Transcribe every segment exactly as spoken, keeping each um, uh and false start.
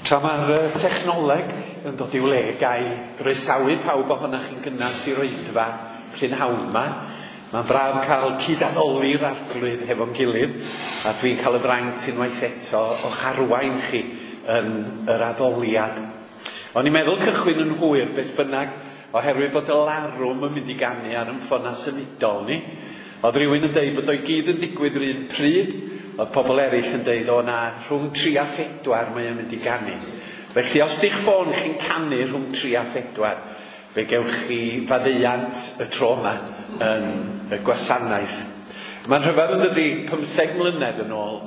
Tra mae'r technoleg yn dod i'w le, gai groesawu pawb ohonoch chi'n gynnas i'r oedfa prynhawn yma. Mae'n braf cael cyd-addoli'r Arglwydd hefo'n gilydd, a dwi'n cael y fraint unwaith eto o'ch arwain chi yn yr addoliad. O'n i'n meddwl cychwyn yn hwyr beth bynnag, oherwydd bod y larwm yn mynd i ganu ar yn ffona symudol ni. Oedd rhywun yn deud bod o'i gyd yn digwydd yr un pryd, oedd pobl eraill yn deud o na rhwng tri a phedwar mae o'n mynd i ganu. Felly os di'ch ffôn chi'n canu rhwng tri a phedwar, fe gewch chi faddeuant y tro yma yn y gwasanaeth. Mae'n rhyfedd yn dydi, pymtheg mlynedd yn ôl,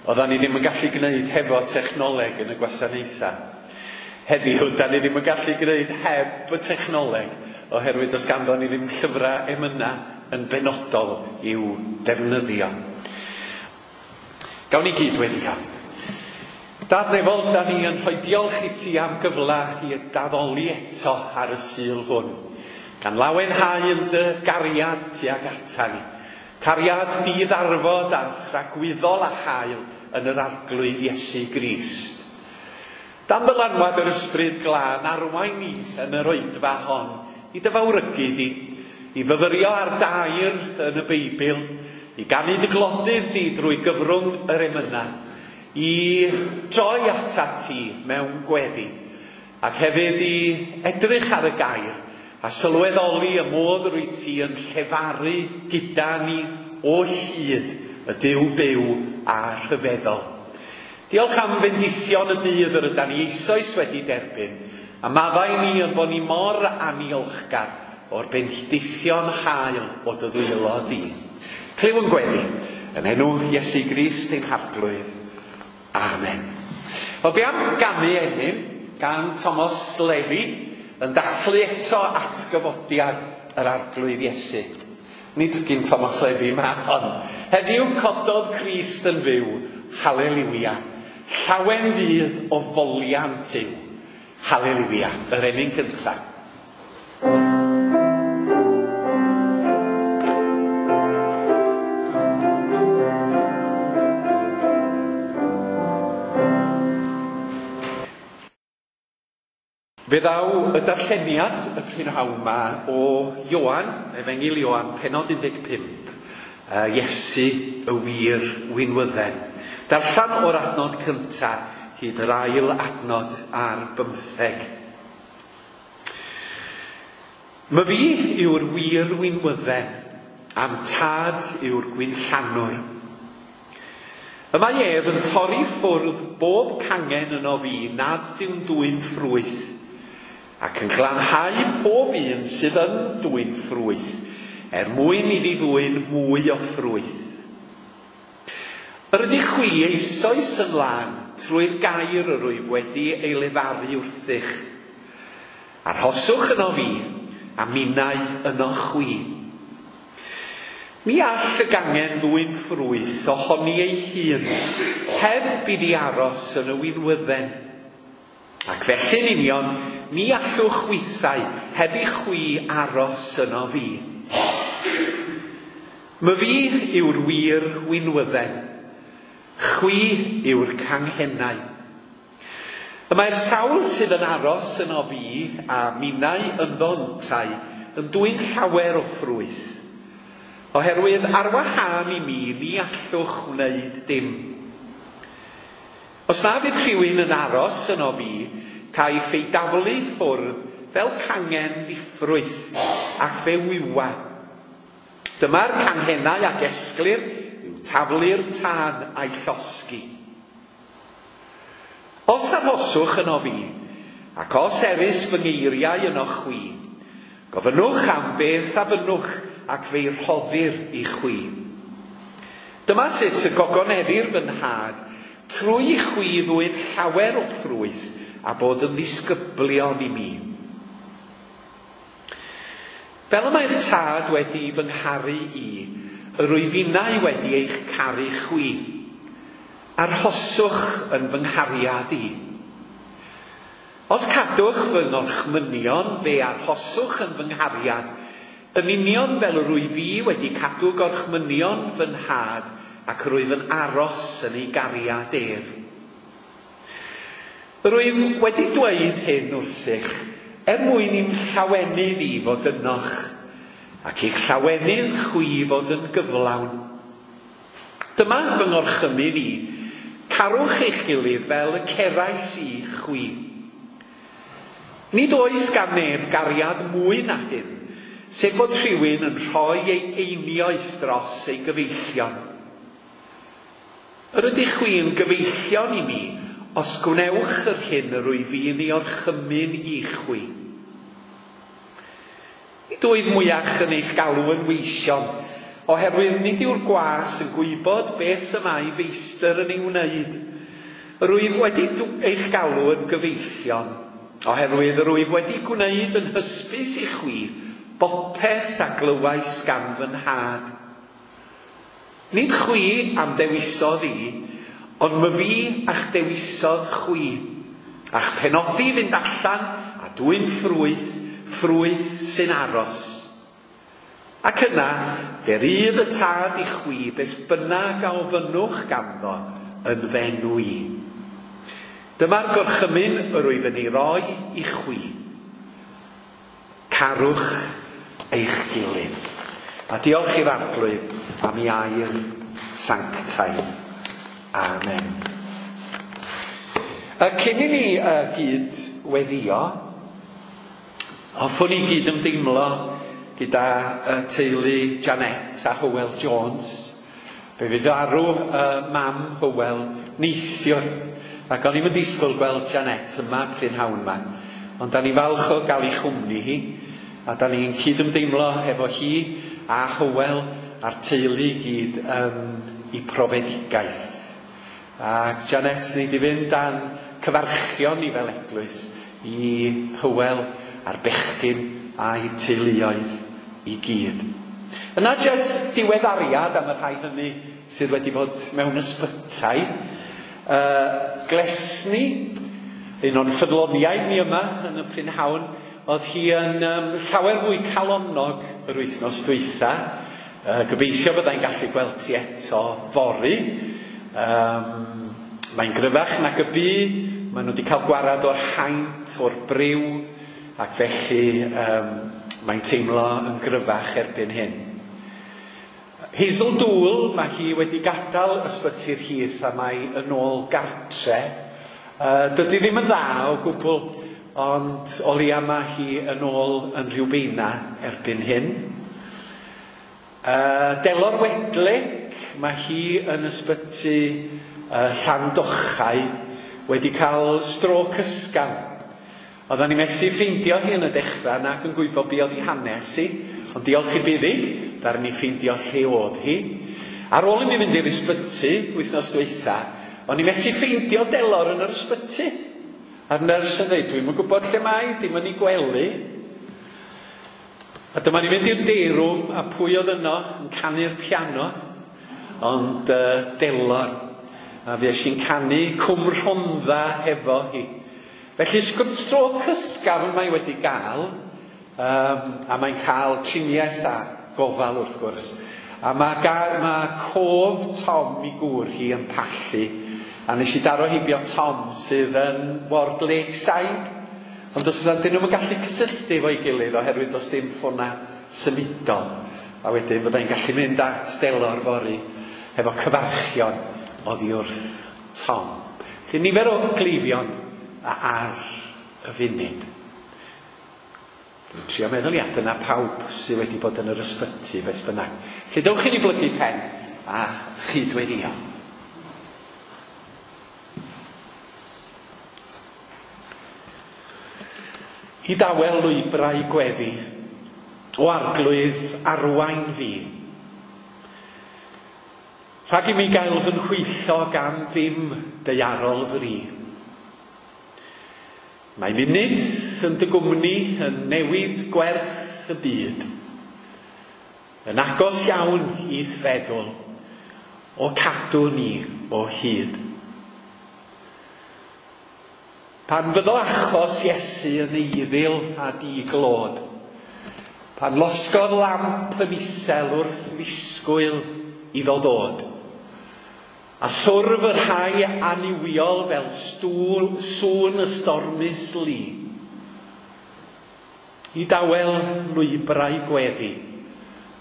oeddan ni ddim yn gallu gwneud hefo technoleg yn y gwasanaethau. Heddiw, da ni ddim yn gallu gwneud heb y technoleg, oherwydd does ganddo ni ddim llyfrau emyna yn benodol i'w defnyddio. Gawn ni gyd weddio. Dad nefol, da ni yn rhoi diolch i ti am gyfle i daddoli eto ar y Sul hwn. Gan lawenhau yn dy gariad tuag ata ni. Cariad diddarfod a thragwyddol a hael yn yr Arglwydd Iesu Grist. Dan ddylanwad yr Ysbryd Glân arwain ni yn yr oedfa hon i dy fawrygu di, i fyfyrio ar dair yn y Beibl, i ganu dy glodydd di drwy gyfrwng yr emyna, i droi atat ti mewn gweddi, ac hefyd i edrych ar y gair a sylweddoli y modd rwyt ti yn llefaru gyda ni o hyd y Duw byw a rhyfeddol. Diolch am fendithion y dydd yr ydan ni eisoes wedi derbyn, a maddau ni yn bod ni mor aniolchgar o'r bendithion hael o dy ddwylo di. Clyw yn gweddi, yn enw Iesu Grist ein Harglwydd. Amen. Wel, be am ganu emyn gan Thomas Levy yn dathlu eto atgyfodiad yr Arglwydd Iesu. Nid gyn Thomas Levy ma hon. Heddiw cododd Crist yn fyw, haleliwia. Llawen ddydd o foliant yw. Haleliwia, yr emyn cyntaf. Fe ddaw y darlleniad y prynhawn yma o Ioan, Efengyl Ioan, pennod un deg pump, Iesu y wir winwydden. Darllen o'r adnod cyntaf hyd yr ail adnod ar bymtheg. My fi yw'r wir winwydden, a'm tad yw'r gwinllanwr. Y mae ef yn torri ffwrdd bob cangen yno fi nad yw'n dwyn ffrwyth, ac yn glanhau pob un sydd yn dwyn ffrwyth, er mwyn iddi ddwyn mwy o ffrwyth. Yr ydych chwi eisoes yn lân trwy'r gair yr wyf wedi ei lefaru wrthych. Arhoswch yno fi, a minnau yno chwi. Mi all y gangen ddwyn ffrwyth ohoni ei hun, heb iddi aros yn y winwydden. Ac felly'n union, ni allwch chwithau heb i chwi aros yno fi. My fi yw'r wir winwydden, chwi yw'r canghennau. Y mae'r sawl sydd yn aros yno fi a minnau ynddo yntau yn dwyn llawer o ffrwyth. Oherwydd ar wahân i mi, ni allwch wneud dim. Os na fydd rhywun yn aros yno fi, caiff ei daflu ffwrdd fel cangen ddiffrwyth ac fe wywa. Dyma'r canghennau a gesglir i'w taflu'r tân a'i llosgi. Os arhoswch yno fi, ac os erys fy ngeiriau yno chwi, gofynnwch am beth a fynnwch ac fe'i rhoddir i chwi. Dyma sut y gogoneddir fy nhad, trwy i chwi ddwyn llawer o ffrwyth a bod yn ddisgyblion i mi. Fel y mae'r tad wedi fy ngharu i, yr wyf innau wedi eich caru chwi. Arhoswch yn fy nghariad i. Os cadwch fy ngorchmynion, fe arhoswch yn fy nghariad, yn union fel yr wyf fi wedi cadw gorchmynion fy nhad ac rwyf yn aros yn ei gariad ef. Rwyf wedi dweud hyn wrthych er mwyn i'm llawenydd i fod ynoch, ac i'ch llawenydd chwi fod yn gyflawn. Dyma fy ngorchymyn i, carwch eich gilydd fel y cerais i chwi. Nid oes gan neb gariad mwy na hyn, sef bod rhywun yn rhoi ei einioes dros ei gyfeillion. Yr ydych chwi'n gyfeillion i mi, os gwnewch yr hyn yr wyf fi'n ei orchymyn i chwi. Nid wyf mwyach yn eich galw yn weision, oherwydd nid yw'r gwas yn gwybod beth y mae feistr yn ei wneud. Yr wyf wedi eich galw yn gyfeillion, oherwydd yr wyf wedi gwneud yn hysbys i chwi bopeth a glywais gan fy nhad. Nid chwi am dewisodd i, ond my fi a'ch dewisodd chwi, a'ch penodi fynd allan a dwyn ffrwyth, ffrwyth sy'n aros. Ac yna, fe rydd y tad i chwi beth bynnag a ofynnwch ganddo yn f'enw i. Dyma'r gorchymyn yr wyf yn ei roi i chwi. Carwch eich gilydd. A diolch i'r Arglwydd am ei air sanctaidd. Amen. Cyn i ni uh, gyd weddio, hoffwn i gyd ymdeimlo gyda uh, teulu Janet a Hywel Jones. Fe fydd farw uh, mam Hywel neithiwr, ac o'n i'm yn disgwyl gweld Janet yma prynhawn yma. Ond da ni falch o gael ei chwmni hi, a da ni'n cyd ymdeimlo efo hi a Hywel a'r teulu i gyd yn ei profedigaeth. A Janet, ni di fynd a'n cyfarchion ni fel eglwys i Hywel a'r bechgyn a'i teuluoedd i gyd. Yna jyst diweddariad am y rhai hynny sydd wedi bod mewn ysbytai. Uh, Glesni, un o'n ffyddloniaid ni yma yn y prynhawn, oedd hi yn um, llawer fwy calonnog yr wythnos dwytha. Uh, gobeithio byddai'n gallu gweld ti eto fory. Um, mae'n gryfach nag y bu, maen nhw wedi cael gwarad o'r haint, o'r briw, ac felly um, mae'n teimlo yn gryfach erbyn hyn. Hazel Dŵl, mae hi wedi gadael ysbyty'r Heath a mae yn ôl gartre. Uh, dydy ddim yn dda o gwbl, ond o leia mae hi yn ôl yn Rhiwbeina erbyn hyn. Uh, Delor Wedlec, mae hi yn ysbyty uh, Llandochau wedi cael strôc ysgafn. Oedden ni methu ffeindio hi yn y dechrau nac yn gwybod be oedd ei hanes hi, ond diolch i Buddig, ddaru ni ffeindio lle oedd hi. Ar ôl i mi fynd i'r ysbyty wythnos dwytha, o'n i methu ffeindio Delor yn yr ysbyty. A'r nyrs yn dweud, dwi'm yn gwybod lle mae, dim yn ei gwely. A dyma ni fynd i'r day room, a pwy oedd yno yn canu'r piano? Ond uh, Delor. A fues i'n canu Cwm Rhondda hefo hi. Felly strôc ysgafn mae wedi gael, um, a mae'n cael triniaeth a gofal wrth gwrs. A mae, mae cof Tom i gŵr hi yn pallu, a nes i daro heibio Tom sydd yn Ward Lakeside. Ond os ydyn nhw'n gallu cysylltu efo'i gilydd oherwydd does dim ffona symudol. A wedyn byddai'n gallu mynd at Delor fory efo cyfarchion oddi wrth Tom. Felly nifer o gleifion ar y funud. Dwi'n trio meddwl, ia, dyna pawb sydd wedi bod yn yr ysbyty beth bynnag. Felly dewch i ni blygu pen a chydweddio. I dawel lwybrau gweddi, o Arglwydd arwain fi. Rhag i mi gael fy nhwyllo gan ddim daearol fri. Mae munud yn dy gwmni yn newid gwerth y byd. Yn agos iawn i'th feddwl, o cadw ni o hyd. Pan fyddo achos Iesu yn eiddil a diglod, pan losgodd lamp yn isel wrth ddisgwyl iddo ddod, A thwrf y rhai annuwiol fel stŵl, sŵn y stormus lu. I dawel lwybrau gweddi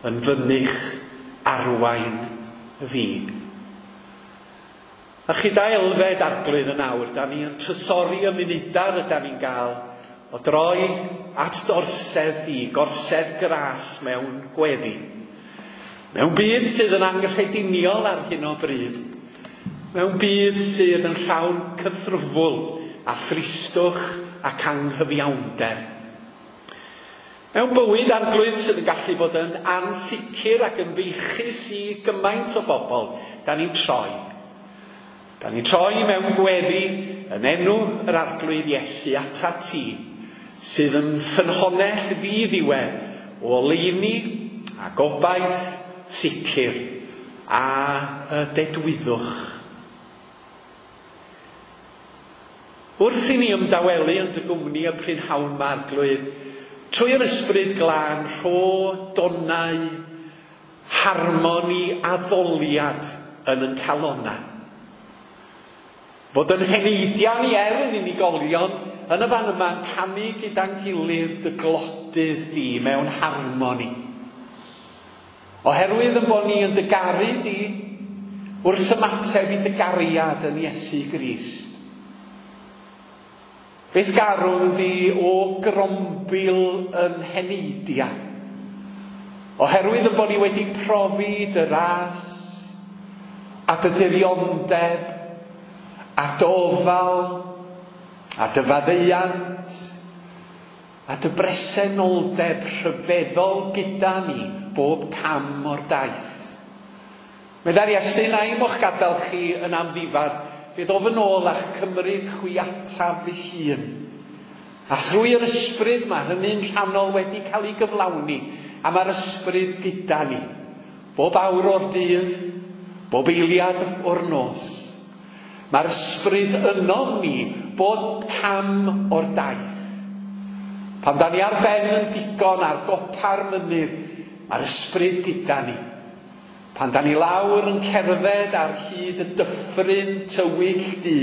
yn fynych arwain fi. A chyda Elfed Arglwydd yn awr, da ni yn trysori y munudau rydan ni'n gael o droi at d'orsedd di, gorsedd gras mewn gweddi. Mewn byd sydd yn anghrediniol ar hyn o bryd, mewn byd sydd yn llawn cythrwfwl a thristwch ac anghyfiawnder. Mewn bywyd Arglwydd sydd yn gallu bod yn ansicr ac yn feichus i gymaint o bobl, da ni'n troi. Da ni'n troi mewn gweddi yn enw yr Arglwydd Iesu atat ti, sydd yn ffynhonnell ddiddiwedd o oleuni a gobaith sicr a y dedwyddwch. Wrth i ni ymdawelu yn dy gwmni y prynhawn 'ma, Arglwydd, trwy'r Ysbryd Glân rho donau harmoni addoliad yn yn calonnau. Fod yn heneidiau ni er yn unigolion yn y fan yma'n canu gyda'n gilydd dy glodydd di mewn harmoni. Oherwydd yn bod ni yn dy garu di wrth ymateb i dy gariad yn Iesu Grist. Beth garwn di o grombil yn heneidiau. Oherwydd yn bod ni wedi profi dy ras a dy diriondeb a dy ofal a dy faddeuant a dy bresenoldeb rhyfeddol gyda ni bob cam o'r daith. Meddai'r Iesu, na i mo'ch gadael chi yn amddifad, fe ddof yn ôl a'ch cymryd chwi ataf fy hun. A thrwy'r ysbryd mae hynny'n rhannol wedi cael ei gyflawni, a mae'r ysbryd gyda ni. Bob awr o'r dydd, bob eiliad o'r nos. Mae'r ysbryd ynom ni bob cam o'r daith. Pan da ni ar ben yn digon ar gopa'r mynydd, mae'r ysbryd gyda ni. Pan da ni lawr yn cerdded ar hyd y dyffryn tywyll du,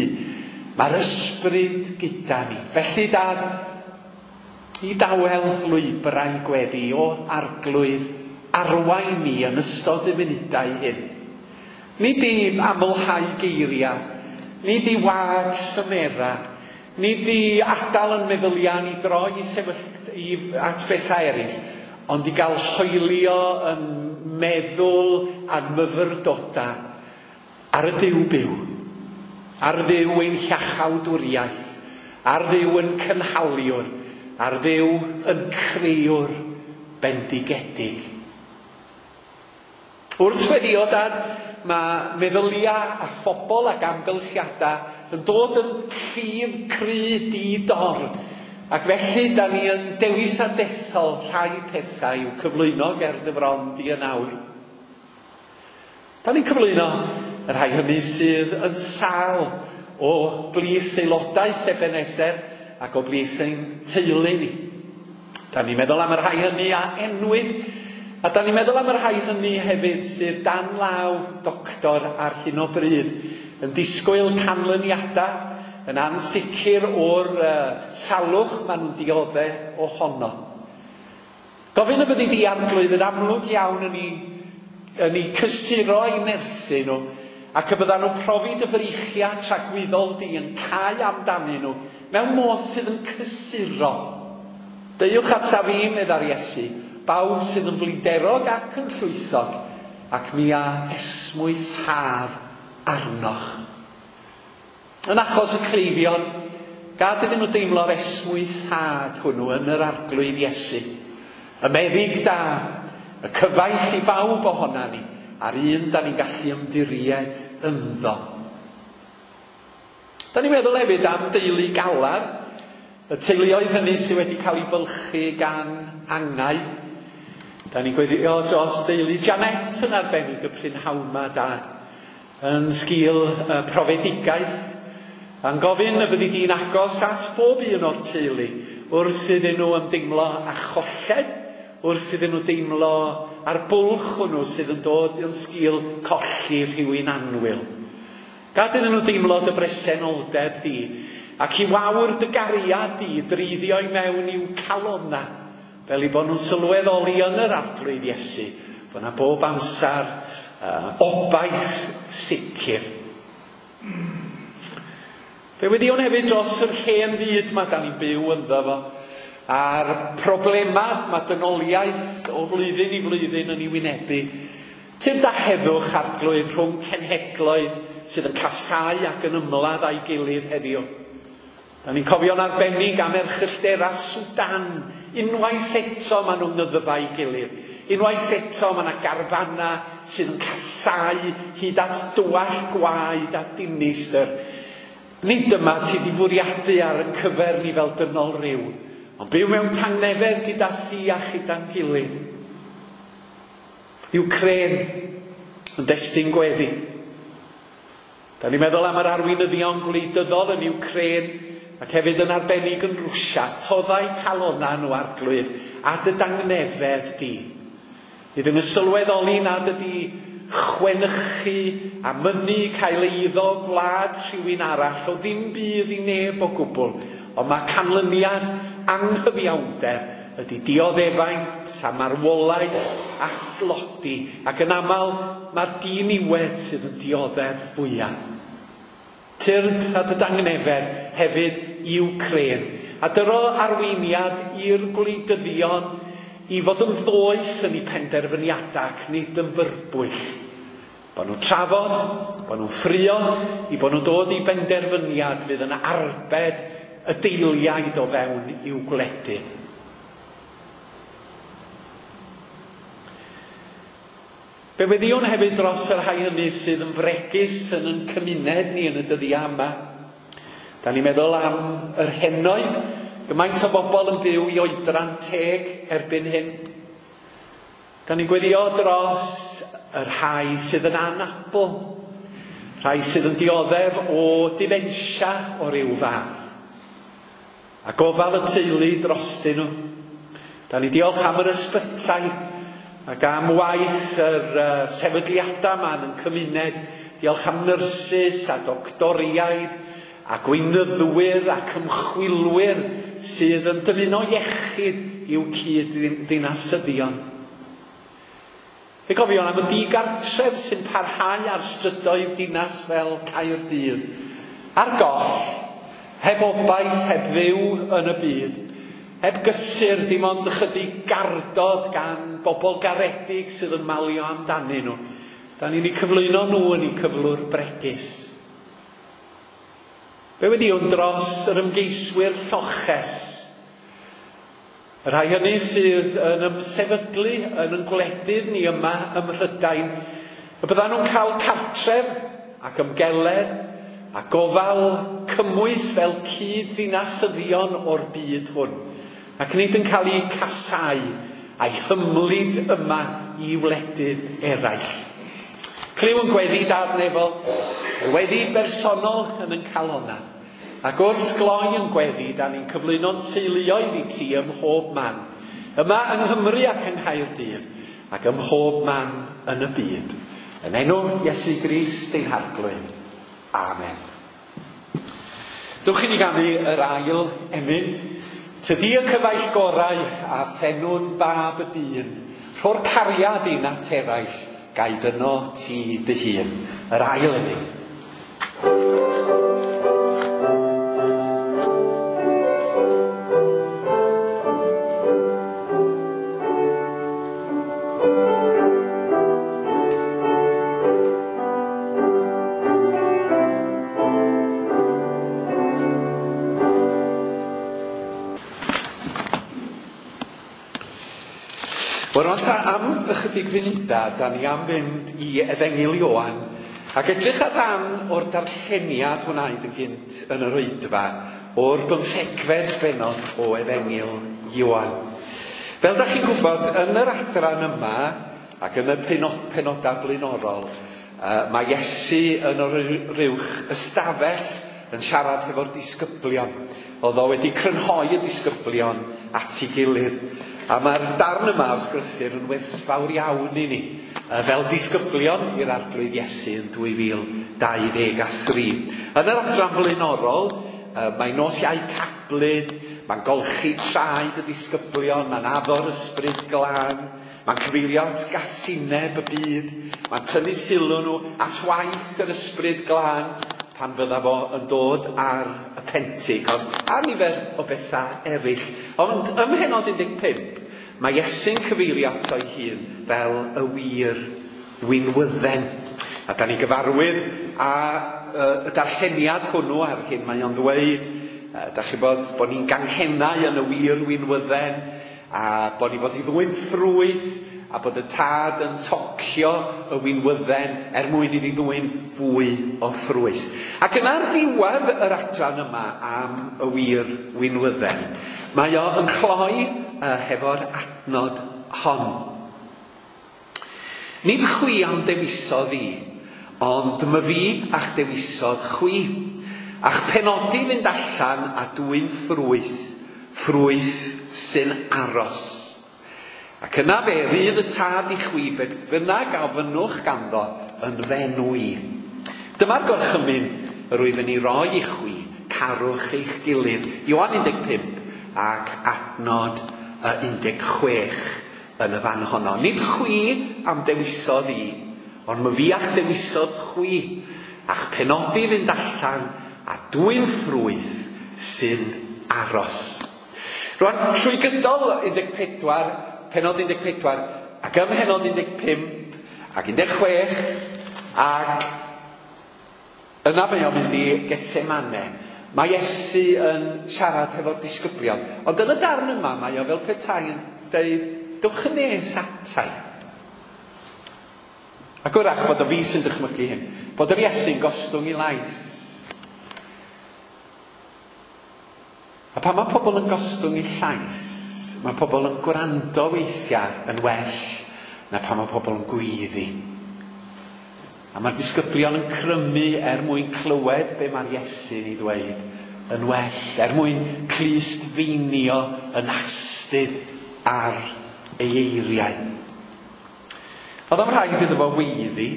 mae'r ysbryd gyda ni. Felly Dad, i dawel lwybrau gweddi o Arglwydd arwain ni yn ystod y munudau hyn. Nid i amlhau geiriau, nid i wag symera, nid i adael yn meddyliau ni droi i sefyll i, at bethau eraill, ond i gael hoelio yn meddwl a'n myfyrdodau ar y Duw byw, ar Dduw ein hiachawdwriaeth, ar Dduw yn cynhaliwr, ar Dduw yn crëwr bendigedig. Wrth weddio, Dad, mae meddyliau a phobl ac amgylchiadau yn dod yn llif cry di-dor. Ac felly, da ni yn dewis a dethol rhai pethau i'w cyflwyno ger dy fron di yn awr. Da ni'n cyflwyno y rhai hynny sydd yn sâl o blith aelodaeth Ebenezer ac o blith ein teulu ni. Da ni'n meddwl am y rhai hynny a enwyd, a da ni'n meddwl am y rhai hynny hefyd sydd dan law doctor ar hyn o bryd, yn disgwyl canlyniadau, yn ansicr o'r uh, salwch maen nhw'n dioddef ohono. Gofyn y byddi di Arglwydd yn amlwg iawn yn ei, yn ei cysuro i nerthu nhw, ac y byddan nhw'n profi dy freichiau tragwyddol di yn cau amdanyn nhw mewn modd sydd yn cysuro. Deuwch ataf fi, meddai'r Iesu, bawb sydd yn flinderog ac yn llwythog, ac mi a esmwythaf arnoch. Yn achos y cleifion, gad iddyn nhw deimlo'r esmwythhad hwnnw yn yr Arglwydd Iesu. Y meddyg da, y cyfaill i bawb ohona ni, a'r un da ni'n gallu ymddiried ynddo. Da ni'n meddwl hefyd am deulu Galar, y teuluoedd hynny sydd wedi cael ei bylchu gan angau. Da ni'n gweddïo dros deulu Janet yn arbennig y prynhawn 'ma, Dad, yn sgil y profedigaeth. A'n gofyn y byddi di'n agos at bob un o'r teulu wrth iddyn nhw ymdeimlo â cholled, wrth iddyn nhw deimlo ar bwlch hwnnw sydd yn dod yn sgil colli rhywun annwyl. Gad iddyn nhw deimlo dy bresenoldeb di, ac i wawr dy gariad di dreiddio i mewn i'w calonna, fel i bod nhw'n sylweddoli yn yr Arglwydd Iesu, bod yna bob amser uh, obaith sicr. Fe weddïwn hefyd dros yr hen fyd ma da ni'n byw ynddo fo, a'r problemau mae dynoliaeth o flwyddyn i flwyddyn yn ei wynebu. Tyrd â heddwch, Arglwydd, rhwng cenhedloedd sydd yn casáu ac yn ymladd â'i gilydd heddiw. Da ni'n cofio'n arbennig am erchyllterau Sudan. Unwaith eto maen nhw'n nghyddfau ei gilydd. Unwaith eto mae yna garfanna sydd yn casáu hyd at dywall gwaed a dinistr. Nid dyma ti di fwriadu ar yn cyfer ni fel dynol ryw, ond byw mewn tangnefedd gyda thi a chyda'n gilydd. Ukraine yn destun gweddi. Da ni'n meddwl am yr arweinyddion gwleidyddol yn Ukraine ac hefyd yn arbennig yn Rwsia. Toddau calonna nhw, Arglwydd, a dy dangnefedd di. Iddyn nhw sylweddoli nad ydi chwenychu a mynnu cael eiddo gwlad rhywun arall o ddim bydd i neb o gwbl, ond mae canlyniad anghyfiawnder ydy dioddefaint a marwolaeth a thlodi, ac yn aml mae'r diniwed sydd yn dioddef fwyaf. Tyrd a dy dangnefedd hefyd i Wcráin, a dyro arweiniad i'r gwleidyddion i fod yn ddoeth yn eu penderfyniadau ac nid yn fyrbwyll. Bod nhw'n trafod, bod nhw'n ffrio, i bod nhw'n dod i benderfyniad fydd yn arbed y deiliaid o fewn i'w gwledydd. Fe weddïwn hefyd dros y rhai hynny sydd yn fregus yn ein cymuned ni yn y dyddiau yma. Da ni'n meddwl am yr henoed, gymaint o bobl yn byw i oedran teg erbyn hyn. Da ni'n gweddio dros y rhai sydd yn anabl, rhai sydd yn dioddef o dementia o ryw fath, a gofal y teulu drostyn nhw. Da ni'n diolch am yr ysbytai ac am waith yr uh, sefydliadau yma yn cymuned. Diolch am nyrsys a doctoriaid a gweinyddwyr ac ymchwilwyr sydd yn dymuno iechyd i'w cyd-ddinasyddion. Fe gofion am y digartref sy'n parhau ar strydoedd dinas fel Caerdydd. Ar goll, heb obaith, heb fyw yn y byd, heb gysur, dim ond ychydig gardod gan bobl garedig sydd yn malio amdanyn nhw. Da ni'n eu cyflwyno nhw yn eu cyflwr bregus. Fe weddïwn dros yr ymgeiswyr lloches, y rhai hynny sydd yn ymsefydlu yn ein gwledydd ni yma ym Mhrydain, y byddan nhw'n cael cartref ac ymgeledd a gofal cymwys fel cyd-ddinasyddion o'r byd hwn, ac nid yn cael eu casáu a'i hymlid yma i wledydd eraill. Clyw yn gweddi Dad nefol, weddi bersonol yn ein calonna. Ac wrth gloi yn gweddi, da ni'n cyflwyno'n teuluoedd i ti ym mhob man. Yma yng Nghymru ac yng Nghaerdydd, ac ym mhob man yn y byd. Yn enw Iesu Grist ein Harglwydd. Amen. Dewch i ni ganu yr ail emyn. Tydi y cyfaill gorau a thenwn fab y dyn, rho'r cariad i at eraill, gaid yno ti dy hun. Yr ail emyn. Wel, rwan ta am ychydig funudau, da ni am fynd i Efengyl Ioan ac edrych ar ran o'r darlleniad wnaed yn gynt yn yr oedfa o'r bymthegfed bennod o Efengyl Ioan. Fel da chi'n gwybod, yn yr adran yma ac yn y penod, penodau blaenorol, uh, mae Iesu yn yr rywch ystafell yn siarad hefo'r disgyblion. Oedd o wedi crynhoi y disgyblion at ei gilydd. A mae'r darn yma o sgrythur yn werthfawr iawn i ni, fel disgyblion i'r Arglwydd Iesu yn dwy fil dau ddeg a thri. Yn yr adran flaenorol, mae nos Iau Cablyd, mae'n golchi traed y disgyblion, mae'n addo'r ysbryd glân, mae'n cyfeirio at gasineb y byd, mae'n tynnu sylw nhw at waith yr ysbryd glân pan fydda fo yn dod ar y Pentecost, a nifer o bethau eraill. Ond ym mhennod un deg pump, mae Iesu'n cyfeirio ato ei hun fel y wir winwydden. A da ni gyfarwydd a y darlleniad hwnnw ar hyn mae o'n ddweud, da chi bod, bod ni'n ganghennau yn y wir winwydden, a bod ni fod i ddwyn ffrwyth, a bod y tad yn tocio y winwydden er mwyn iddi ddwyn fwy o ffrwyth. Ac yna ar ddiwedd yr adran yma am y wir winwydden, mae o yn cloi uh, hefo'r adnod hon. Nid chwi am dewisodd i, ond my fi a'ch dewisodd chwi, a'ch penodi fynd allan a dwyn ffrwyth, ffrwyth sy'n aros. Ac yna fe rydd y tad i chwi beth bynnag a ofynnwch ganddo yn f'enw i. Dyma'r gorchymyn yr wyf yn ei roi i chwi, carwch eich gilydd. Ioan un deg pump ac adnod un deg chwech yn y fan honno. Nid chwi am dewisodd i, ond my fi a'ch dewisodd chwi, a'ch penodi fynd allan a dwyn ffrwyth sy'n aros. Rwan, trwy gydol un deg pedwar, pennod un deg pedwar, ac ym mhennod un deg pump, ac un deg chwech, ac yna mae o'n mynd i Getsemane. Mae Iesu yn siarad hefo'r disgyblion. Ond yn y darn yma, mae o fel petai yn dweud, dwch yn nes atai. Ac wrach fod o fi sy'n dychmygu hyn, bod yr Iesu'n gostwng i lais. A pan mae pobl yn gostwng i llais, mae pobl yn gwrando weithiau yn well na pan mae pobl yn gweiddi. A mae'r disgyblion yn crymu er mwyn clywed be mae'r Iesu'n ei ddweud yn well, er mwyn clustfeinio yn astud ar ei eiriau. Oedd o'm rhaid iddo fo weiddi.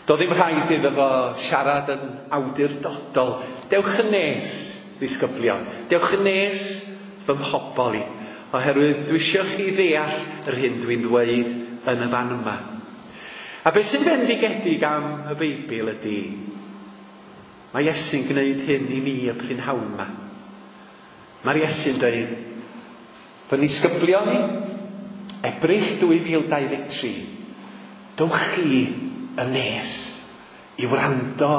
Doedd ddim rhaid iddo fo siarad yn awdurdodol. Dewch yn nes, disgyblion. Dewch yn nes fy mhobol i, oherwydd dwi eisiau chi ddeall yr hyn dwi'n ddweud yn y fan yma. A beth sy'n fendigedig am y Beibl ydy, mae Iesu'n gwneud hyn i ni y prynhawn yma. Mae'r Iesu'n dweud, fy nisgyblion i, Ebrill dwy fil dau ddeg tri, dowch chi yn nes i wrando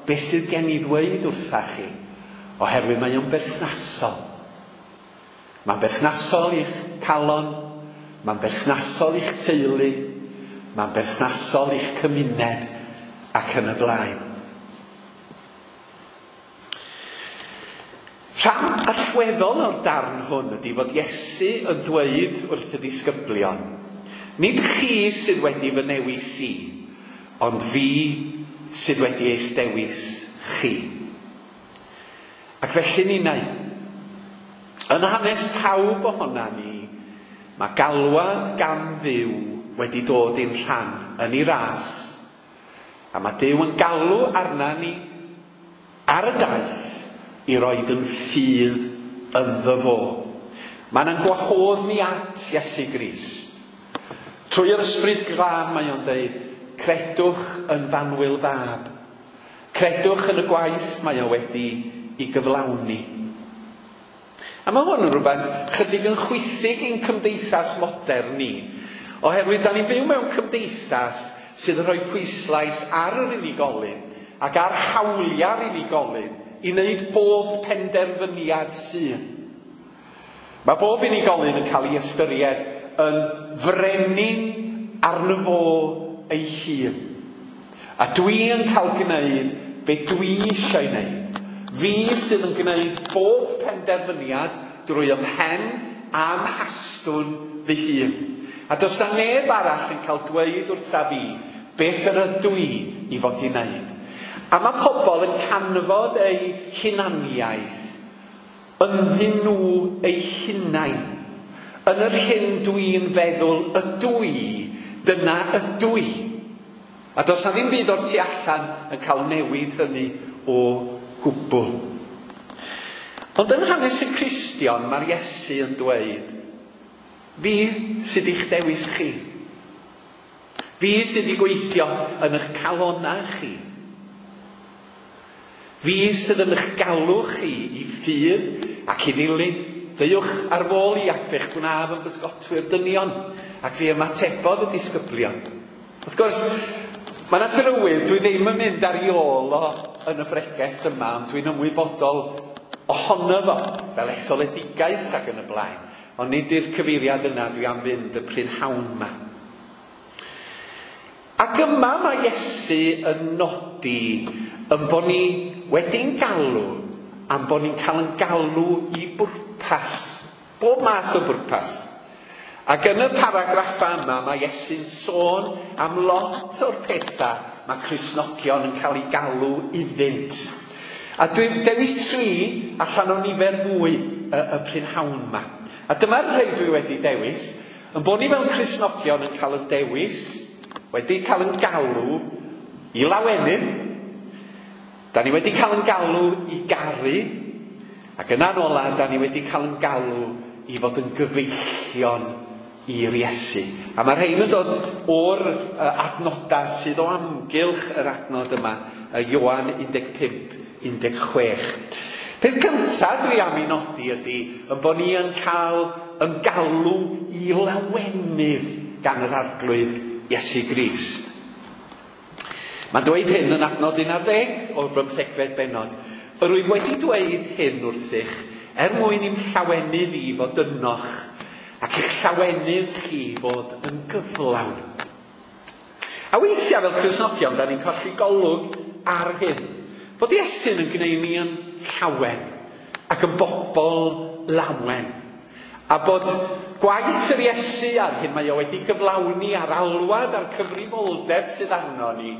beth sydd gen i ddweud wrtha chi, oherwydd mae o'n berthnasol. Mae'n berthnasol i'ch calon, mae'n berthnasol i'ch teulu, mae'n berthnasol i'ch cymuned ac yn y blaen. Rhan allweddol o'r darn hwn ydy fod Iesu yn dweud wrth y disgyblion, nid chi sydd wedi fy newis i, ond fi sydd wedi eich dewis chi. Ac felly ninnau, yn hanes pawb ohona ni, mae galwad gan Dduw wedi dod i'n rhan yn ei ras. A mae Duw yn galw arna ni ar y daith i roed yn ffydd ynddo fo. Mae'n yn gwahodd ni at Iesu Grist. Trwy yr ysbryd glân mae o'n dweud, credwch yn fanwyl fab. Credwch yn y gwaith mae o wedi i gyflawni. A mae hwn yn rhywbeth chydig yn chwithig i'n cymdeithas modern ni. Oherwydd, da ni'n byw mewn cymdeithas sydd yn rhoi pwyslais ar yr unigolyn ac ar hawliau'r unigolyn i wneud bob penderfyniad sydd. Mae bob unigolyn yn cael ei ystyried yn frenin arno fo ei hun. A dwi yn cael gwneud be dwi eisiau wneud. Fi sydd yn gwneud bob penderfyniad drwy ymhen a'm hastwn fy hun. A does na neb arall yn cael dweud wrtha fi beth yr ydw i i fod i wneud. A mae pobl yn canfod eu hunaniaeth ynddyn nhw eu hunain. Yn yr hyn dwi'n feddwl ydw i, dyna ydw i. A does na ddim byd o'r tu allan yn cael newid hynny o gwbl. Ond yn hanes y Cristion, mae'r Iesu yn dweud, fi sydd i'ch dewis chi. Fi sydd i gweithio yn eich calonau chi. Fi sydd yn eich galw chi i ffydd ac i ddilyn. Deuwch ar fôl i ac fe'ch gwnaf yn bysgotwyr dynion. Ac fe ymatebodd y disgyblion. Wrth gwrs, mae yna drywydd, dwi ddim yn mynd ar ei ôl o yn y bregeth yma, ond dwi'n ymwybodol ohono fo, fel etholedigaeth ac yn y blaen. Ond nid i'r cyfeiriad yna dwi am fynd y prynhawn yma. Ac yma mae Iesu yn nodi yn bod ni wedi'n galw, am bod ni'n cael yn galw i bwrpas. Bob math o bwrpas. Ac yn y paragraffa yma mae Iesu'n sôn am lot o'r pethau mae Cristnogion yn cael eu galw iddynt. A dwi'n dewis tri allan o nifer fwy y, y prynhawn yma. A dyma'r rhai dwi wedi dewis. Yn bod ni fel Cristnogion yn cael yn dewis, wedi cael yn galw i lawenydd. Da ni wedi cael yn galw i garu. Ac yna'n ola, da ni wedi cael yn galw i fod yn gyfeillion i'r Iesu. A mae rhain yn dod o'r adnodau sydd o amgylch yr adnod yma, Ioan un deg pump, un deg chwech. Peth cyntaf dwi am ei nodi ydy yn bod ni yn cael yn galw i lawenydd gan yr Arglwydd Iesu Grist. Mae'n dweud hyn yn adnod un ar ddeg o'r bymthegfed bennod. Yr wyf wedi dweud hyn wrthych er mwyn i'm llawenydd i fod ynoch ac i'ch llawenydd chi fod yn gyflawn. A weithiau fel Cristnogion, da ni'n colli golwg ar hyn. Bod Iesu'n yn gwneud ni yn llawen ac yn bobl lawen. A bod gwaith yr Iesu ar hyn mae o wedi gyflawni a'r alwad a'r cyfrifoldeb sydd arno ni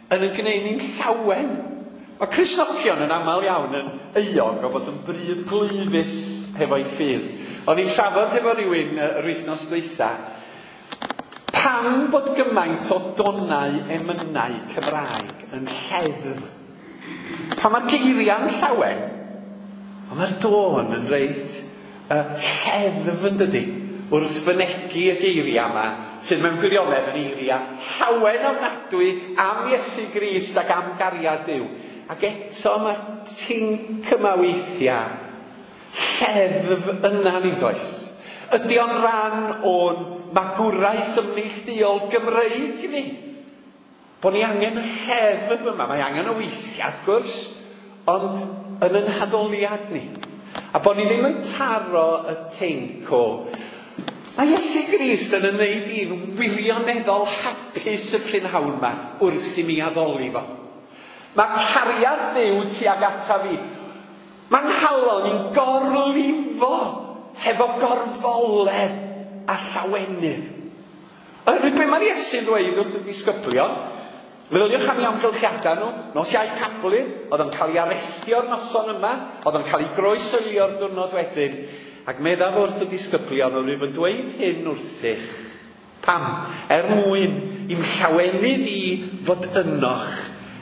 yn yn gwneud ni'n llawen. Mae Cristnogion yn aml iawn yn euog o fod yn bryd glwyfus hefo'i ffydd. O'n i'n trafod hefo rhywun yr wythnos dwytha, pam bod gymaint o donau emynau Cymraeg yn lleddf? Pan mae'r geiriau'n llawen, ond mae'r dôn yn reit uh, lleddf yn dydi, wrth fynegi y geiriau yma, sydd mewn gwirionedd yn eiriau llawen ofnadwy am Iesu Grist ac am gariad Duw. Ac eto mae'r tinc yma weithiau lleddf yna ni'n does. Ydy o'n rhan o'n magwraeth ymneilltuol Gymreig ni? Bod ni angen y lleddf yma. Mae angen o weithiau, wrth gwrs, ond yn yn haddoliad ni. A bod ni ddim yn taro y tinc o mae Iesu Grist yn ymwneud i'n wirioneddol hapus y prynhawn yma wrth i mi addoli fo. Mae cariad Duw tuag ata fi. Mae nghalon i'n gorlifo hefo gorfoledd a llawenydd. Oherwydd be mae'r Iesu'n dweud wrth y disgyblion, meddyliwch am eu amgylchiadau nhw, nos Iau Cablyd, oedd o'n cael ei arestio'r noson yma, oedd o'n cael ei groeshoelio'r diwrnod wedyn, ac meddaf wrth y disgyblion, yr wyf yn dweud hyn wrthych. Pam? Er mwyn i'm llawenydd i fod ynoch,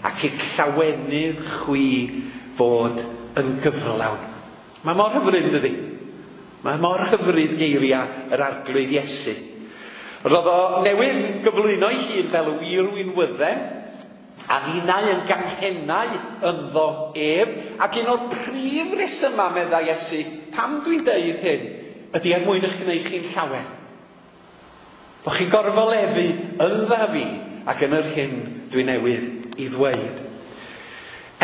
ac i'ch llawenydd chwi fod yn gyflawn. Mae mor hyfryd, dydi? Mae mor hyfryd geiriau yr Arglwydd Iesu. Roedd o newydd gyflwyno ei hun fel y wir winwydden, a ninnau yn ganghennau ynddo ef, ac un o'r prif resymau, meddai Iesu, pam dwi'n deud hyn, ydy er mwyn eich gwneud chi'n llawen. Bo chi'n gorfoleddu yndda fi ac yn yr hyn dwi newydd i ddweud.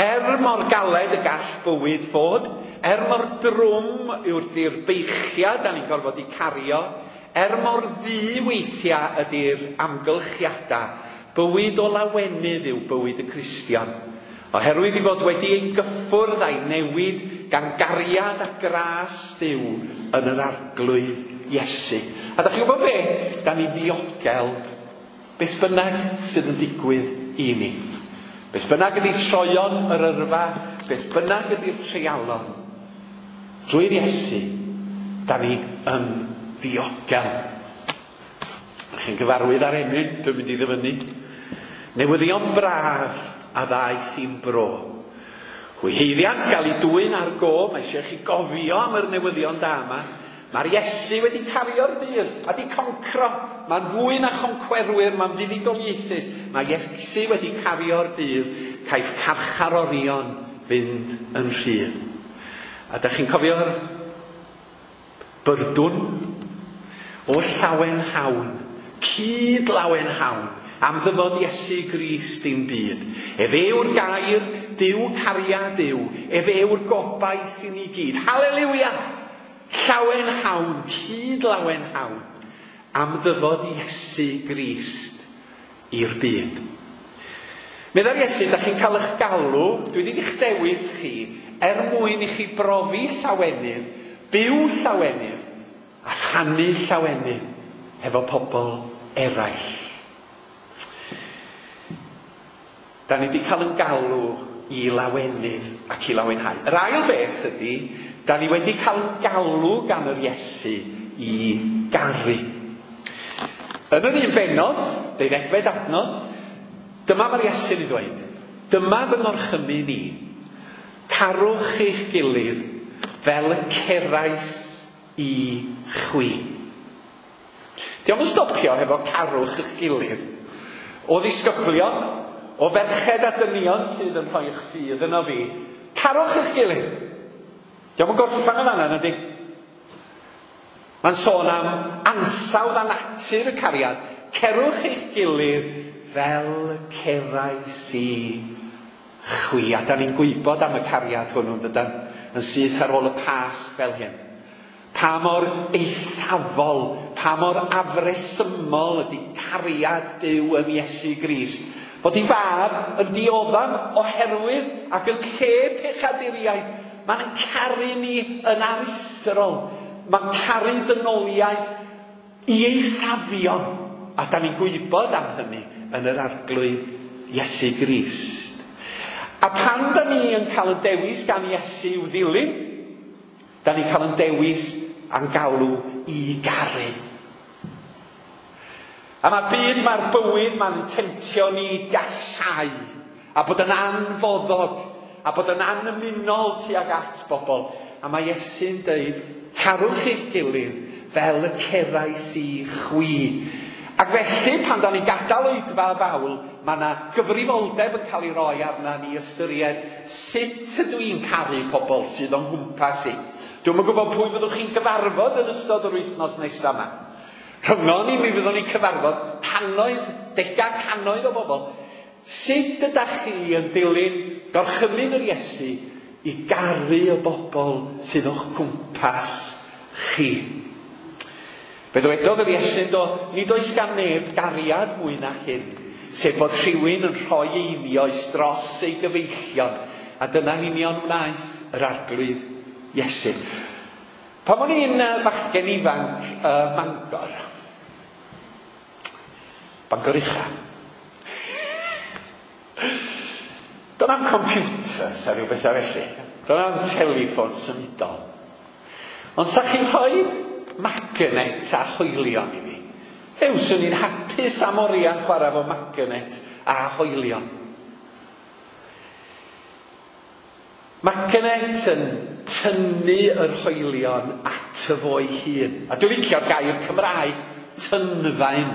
Er mor galed y gall bywyd fod, er mor drwm yw'r di'r beichiad da ni'n gorfod i cario, er mor ddu weithiau ydy'r amgylchiadau, bywyd o lawenydd yw bywyd y Cristion. Oherwydd i fod wedi ei gyffwrdd a'i newid gan gariad a gras Duw yn yr Arglwydd Iesu. A da chi'n gwybod be? Da ni ddiogel beth bynnag sydd yn digwydd i ni. Beth bynnag ydy troion yr yrfa, beth bynnag ydy'r treialon, drwy'r Iesu, da ni yn ddiogel. Chi'n gyfarwydd ar emyn, dwi'n mynd i ddyfynnu. Newyddion braf a ddaeth i'n bro. Hwy heiddiant gael ei dwyn ar go, mae eisiau chi gofio am yr newyddion da yma. Mae'r Iesu wedi cario'r dydd a di concro. Mae'n fwy na choncwerwyr, mae'n fuddugoliaethus. Mae Iesu wedi cario'r dydd, caiff carcharorion fynd yn rhydd. A da chi'n cofio'r byrdwn? O llawen hawn, cyd lawen hawn, am ddyfod Iesu Grist i'n byd. Ef yw'r gair, Duw cariad Duw, ef yw'r gobaith i ni gyd. Haleliwia! Llawen hawn, cyd lawen hawn, am ddyfod Iesu Grist i'r byd. Meddai'r Iesu, da chi'n cael eich galw, dwi wedi eich dewis chi, er mwyn i chi brofi llawenydd, byw llawenydd, a rhannu llawenydd efo pobl eraill. Da ni wedi cael yn galw i lawenydd ac i lawenhau. Yr ail beth ydy, da ni wedi cael yn galw gan yr Iesu i garu. Yn yr un bennod, deuddegfed adnod, dyma mae'r Iesu'n ei ddweud. Dyma fy ngorchymyn i. Carwch eich gilydd fel y cerais i chwi. Dio'm yn stopio hefo carwch eich gilydd. O ddisgyblion, o ferched a dynion sydd yn rhoi eich ffydd yno fi, carwch eich gilydd. Dio'm yn gorffan yn fan'na, nadi? Mae'n sôn am ansawdd a natur y cariad. Cerwch eich gilydd fel y cerais i chwi. A da ni'n gwybod am y cariad hwnnw, dydan, yn syth ar ôl y Pasg fel hyn. Pa mor eithafol, pa mor afresymol ydy cariad Duw yn Iesu Grist. Bod ei fab yn dioddef oherwydd ac yn lle pechaduriaid. Mae'n caru ni yn aruthrol. Mae'n caru dynoliaeth i eithafion. A da ni'n gwybod am hynny yn yr Arglwydd Iesu Grist. A pan da ni yn cael y dewis gan Iesu i'w ddilyn, da ni'n cael yn dewis a'n galw i garu. A mae byd, mae'r bywyd, mae'n temtio ni i gasau, a bod yn anfoddog, a bod yn anymunol tuag at bobl. A mae Iesu'n dweud, carwch eich gilydd fel y cerais i chwi. Ac felly, pan da ni'n gadael oedfa fawl, mae yna gyfrifoldeb yn cael ei roi arna ni ystyried sut ydw i'n caru pobl sydd o'n nghwmpas i. Dwi'm yn gwybod pwy fyddwch chi'n gyfarfod yn ystod yr wythnos nesaf yma. Rhyngon ni, mi fyddwn ni'n cyfarfod cannoedd, degau cannoedd o bobl. Sut ydych chi yn dilyn gorchymyn yr Iesu i garu y bobl sydd o'ch cwmpas chi? Fe ddywedodd yr Iesu, do, nid oes gan neb gariad mwy na hyn, sef bod rhywun yn rhoi einioes dros ei gyfeillion, a dyna'n union wnaeth yr Arglwydd Iesu. Pan o'n i'n fachgen ifanc uh, Mangor, Bangor Ucha, do'n am computers a rhyw bethau felly, do'n am teleffon symudol. Ond sa chi'n rhoi magnet a hoelion i fi? Ew, swn i'n hapus am oriau chwarae fo magnet a hoelion. Magnet yn tynnu yr hoelion ato fo'i hun. A dwi'n licio'r gair Cymraeg, tynfaen.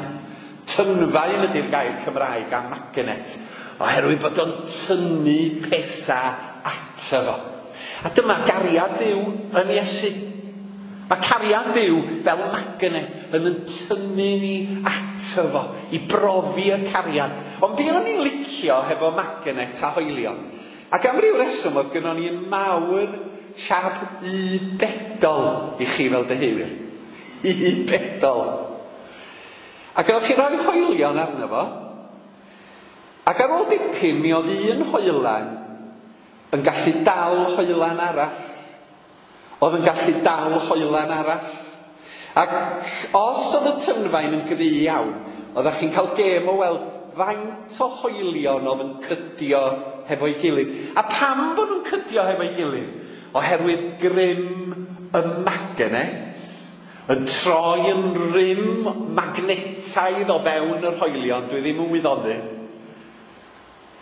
Tynfaen ydy'r gair Cymraeg am magnet, oherwydd bod o'n tynnu pethau ato fo. A dyma gariad Duw yn Iesu. Mae cariad Duw fel magnet yn yn tynnu ni ato fo, i brofi y cariad. Ond be o'n i'n licio hefo magnet a hoelion? Ac am ryw reswm oedd gynnon ni un mawr siap U bedol i chi fel deheuwyr. U bedol. Ac oeddech chi'n rhoi hoelion arno fo. Ac ar ôl dipyn mi oedd un hoelan yn gallu dal hoelan arall. Oedd yn gallu dal hoelan arall. Ac os oedd y tynfaen yn gry iawn, oeddech chi'n cael gêm o weld faint o hoelion oedd yn cydio hefo'i gilydd. A pam bod nhw'n cydio hefo'i gilydd? Oherwydd grym y magnet yn troi yn rym magnetaidd o fewn yr hoelion. Dwi ddim yn wyddonydd.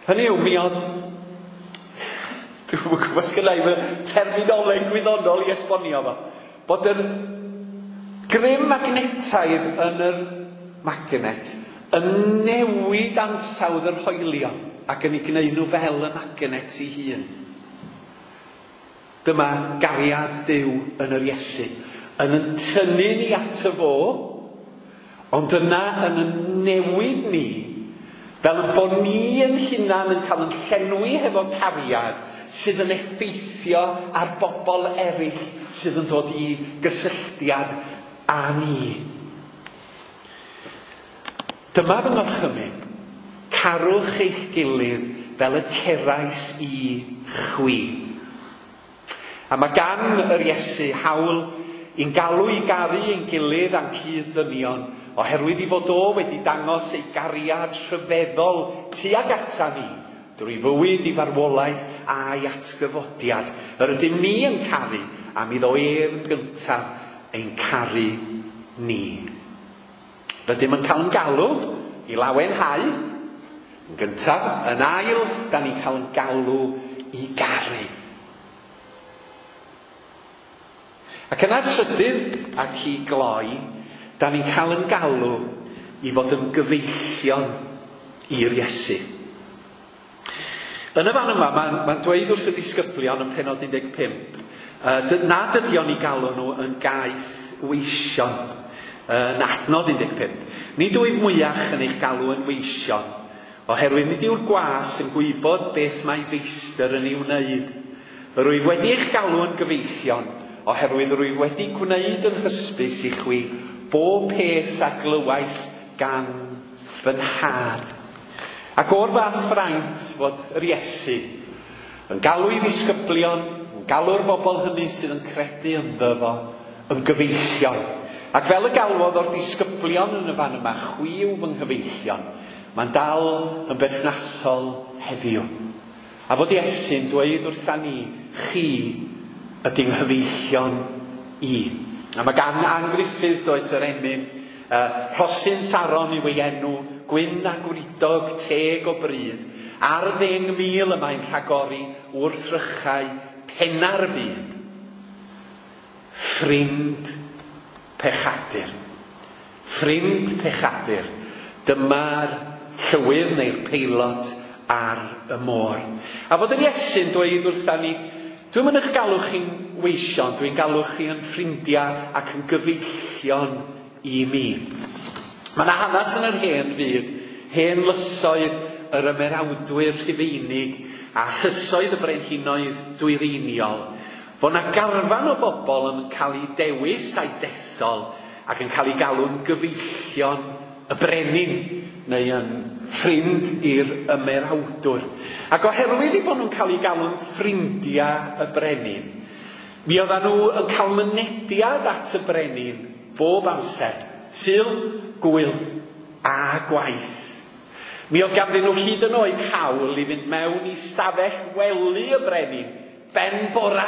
Hynny yw, mi oedd... Dwi'n gwybod sgynna i fy terminoleg gwyddonol i esbonio fo. Bod yr grym magnetaidd yn yr magnet yn newid ansawdd yr hoelion ac yn ei gwneud nhw fel y magnet ei hun. Dyma gariad Duw yn yr Iesu, yn yn tynnu ni ato fo, ond yna yn yn newid ni, fel y bod ni yn hunan yn cael yn llenwi hefo cariad sydd yn effeithio ar bobl eraill sydd yn dod i gysylltiad â ni. Dyma fy ngorchymyn. Carwch eich gilydd fel y cerais i chwi. A mae gan yr Iesu hawl i'n galw i garu ein gilydd a'n cyd-ddynion, oherwydd i fod o wedi dangos ei gariad rhyfeddol tuag ata ni, drwy fywyd i farwolaeth a'i atgyfodiad. Yr ydym ni yn caru, am iddo ef yn gyntaf ein caru ni. Rydym yn cael yn galw i lawenhau. Yn gyntaf, yn ail, da ni'n cael yn galw i garu. Ac yna trydydd ac i gloi, da ni'n cael yn galw i fod yn gyfeillion i'r Iesu. Yn y fan yma, mae'n ma dweud wrth y disgyblion yn pennod un deg pump, uh, nad ydy o'n i galw nhw yn gaeth weision, yn adnod un deg pump. Nid wyf mwyach yn eich galw yn weision, oherwydd nid yw'r gwas yn gwybod beth mae feistr yn ei wneud. Rwyf wedi eich galw yn gyfeillion, oherwydd rwyf wedi gwneud yn hysbys i chwi bob peth a glywais gan fy nhad. Ac o'r fath fraint fod yr Iesu yn galw i ddisgyblion, yn galw'r bobl hynny sydd yn credu ynddo fo, yn gyfeillion. Ac fel y galwodd o'r disgyblion yn y fan yma, chwi yw fy nghyfeillion, mae'n dal yn berthnasol heddiw. A fod Iesu'n dweud wrtha ni, chi ydy nghyfeillion i. A mae gan Ann Griffith, does, yr emyn, uh, Rhosyn Saron yw ei enw, gwyn a gwridog, teg o bryd. Ar ddeng mil y mae'n rhagori wrth rychau penna'r byd. Ffrind pechadur. Ffrind pechadur. Dyma'r llywydd neu'r peilot ar y môr. A fod yr Iesu'n dweud wrtha ni, dwi'n mynd eich galw chi'n weision, dwi'n galw chi yn ffrindiau ac yn gyfeillion i mi. Mae yna hanes yn yr hen fyd, hen lysoedd yr ymerawdwyr Rhufeinig a llysoedd y brenhinoedd dwyreiniol, fod yna garfan o bobl yn cael eu dewis a'i dethol ac yn cael eu galw'n gyfeillion y brenin neu yn ffrind i'r ymerawdwr. Ac oherwydd eu bod nhw'n cael eu galw'n ffrindiau y brenin, mi oedden nhw yn cael mynediad at y brenin bob amser, Sul, gwyl a gwaith. Mi oedd ganddyn nhw hyd yn oed hawl i fynd mewn i stafell wely y brenin, ben bora.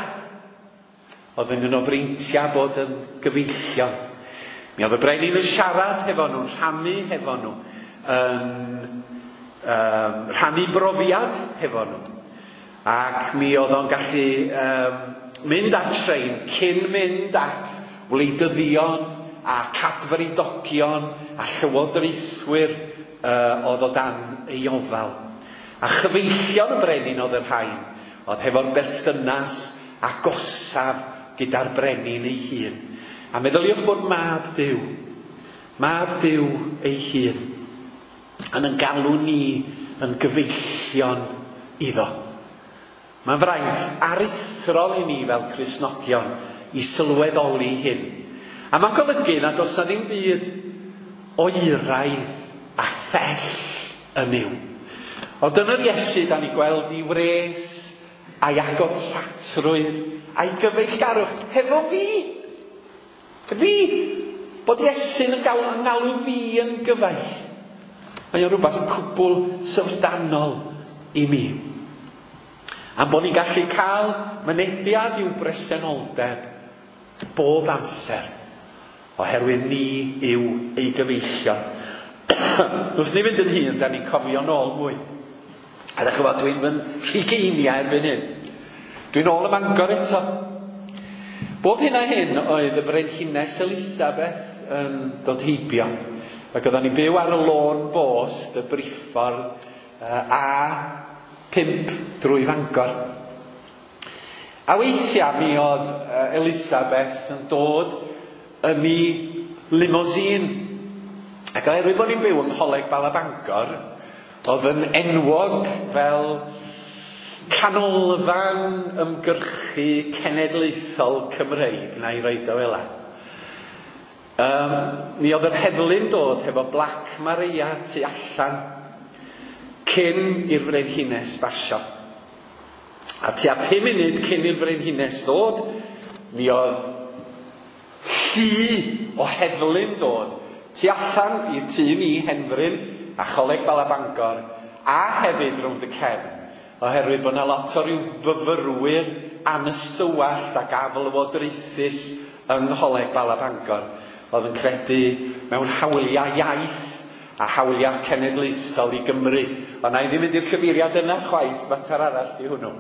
Oedd yn un o freintiau bod yn gyfeillion. Mi oedd y brenin yn siarad hefo nhw, rhannu hefo nhw, yn um, rhannu brofiad hefo nhw. Ac mi oedd o'n gallu um, mynd at trein cyn mynd at wleidyddion a cadfridogion a llywodraethwyr uh, oedd o dan ei ofal. A chyfeillion y brenin oedd y rhain, oedd hefo'r berthynas agosaf gyda'r brenin ei hun. A meddyliwch bod mab Duw, mab Duw ei hun, yn yn galw ni yn gyfeillion iddo. Mae'n fraint aruthrol i ni fel Cristnogion i sylweddoli hyn. A mae'n golygu nad oes na ddim byd oeraidd a phell yn Nuw. Ond yn yr Iesu, da ni gweld i wres a'i agosatrwydd a'i gyfeillgarwch hefo fi. Fi, bod Iesu'n yn galw, yn galw fi yn gyfaill. Mae o'n rhywbeth cwbl syfrdanol i mi. A bod ni'n gallu cael mynediad i'w bresenoldeb bob amser, oherwydd ni yw ei gyfeillion. Wrth ni fynd yn hun, da ni'n cofio nôl mwy. A ddech chi'n gwybod, dwi'n fy rhugeiniau erbyn hyn. Dwi'n ôl ym Mangor eto. Bob hyn a hyn oedd y Frenhines Elisabeth yn dod heibio. Ac oedden ni'n byw ar y lôn bost, y briffordd A pump drwy Fangor. A weithiau mi oedd Elisabeth yn dod yn ei limousine. Ac oherwydd bod ni'n byw yng Ngholeg Bala Bangor, oedd yn enwog fel canolfan ymgyrchu cenedlaethol Cymreig, na i roed o fel 'a. Um, mi oedd yr heddlu'n dod hefo Black Maria tu allan cyn i'r Frenhines basio. A tua pum munud cyn i'r Frenhines ddod, mi oedd llu o heddlu'n dod tu allan i'r tŷ ni, Henfryn, a Choleg Bala Bangor, a hefyd rownd y cefn, oherwydd bod yna lot o ryw fyfyrwyr anystywallt ac aflywodraethus yng Ngholeg Bala Bangor, oedd yn credu mewn hawliau iaith a hawliau cenedlaethol i Gymru. Ond na i ddim mynd i'r cyfeiriad yna chwaith, mater arall di hwnnw.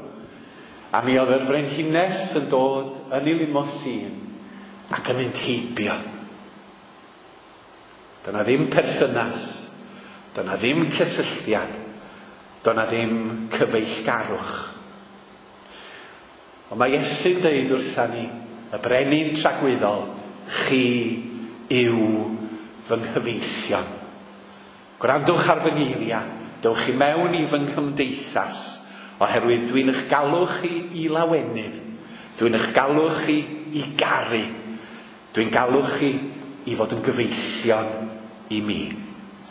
A mi oedd yr Frenhines yn dod yn ei limousine ac yn mynd heibio. Dyna ddim perthynas, dyna ddim cysylltiad, dyna ddim cyfeillgarwch. Ond mae Iesu'n deud wrtha ni, y brenin tragwyddol, chi yw fy nghyfeillion. Gwrandwch ar fy ngeiriau, dewch i mewn i fy nghymdeithas, oherwydd dwi'n eich galw chi i lawenydd, dwi'n eich galw chi i garu, dwi'n galw chi i fod yn gyfeillion i mi.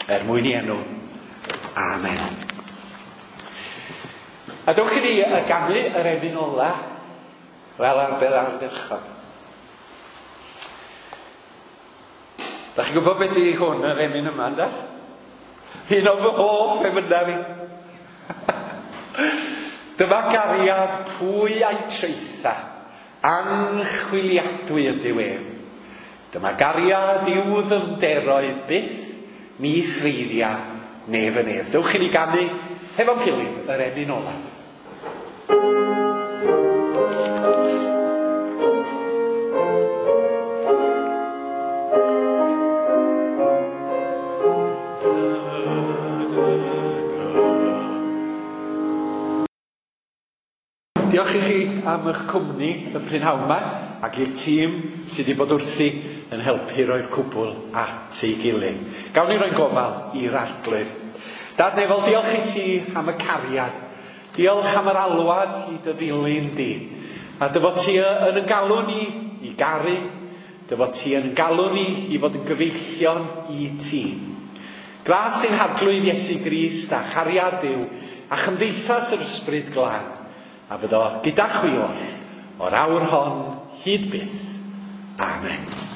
Er mwyn i enw. Amen. A dewch i ni ganu yr emyn ola, fel arbed ardderchog. Da chi'n gwybod beth di hwn, yr emyn yma, yndach? Un o fy hoff emynau fi. Dyma gariad pwy a'i traetha, anchwiliadwy ydyw ef. Dyma gariad i'w ddyfnderoedd byth, ni threiddia nef yn nef. Dewch i ni ganu hefo'n gilydd yr emyn olaf. Diolch i chi am eich cwmni y prynhawn yma ac i'r tîm sydd wedi bod wrthi yn helpu roi'r cwbl at ei gilydd. Gawn ni roi'n gofal i'r Arglwydd. Dad nefol, diolch i ti am y cariad. Diolch am yr alwad i dy ddilyn di. A dy fod ti yn yn galw ni i garu, dy fod ti yn galw ni i fod yn gyfeillion i ti. Gras ein Harglwydd Iesu Grist a chariad Duw a chymdeithas yr Ysbryd Glân, a fyddo gyda chwi oll o'r awr hon hyd byth. Amen.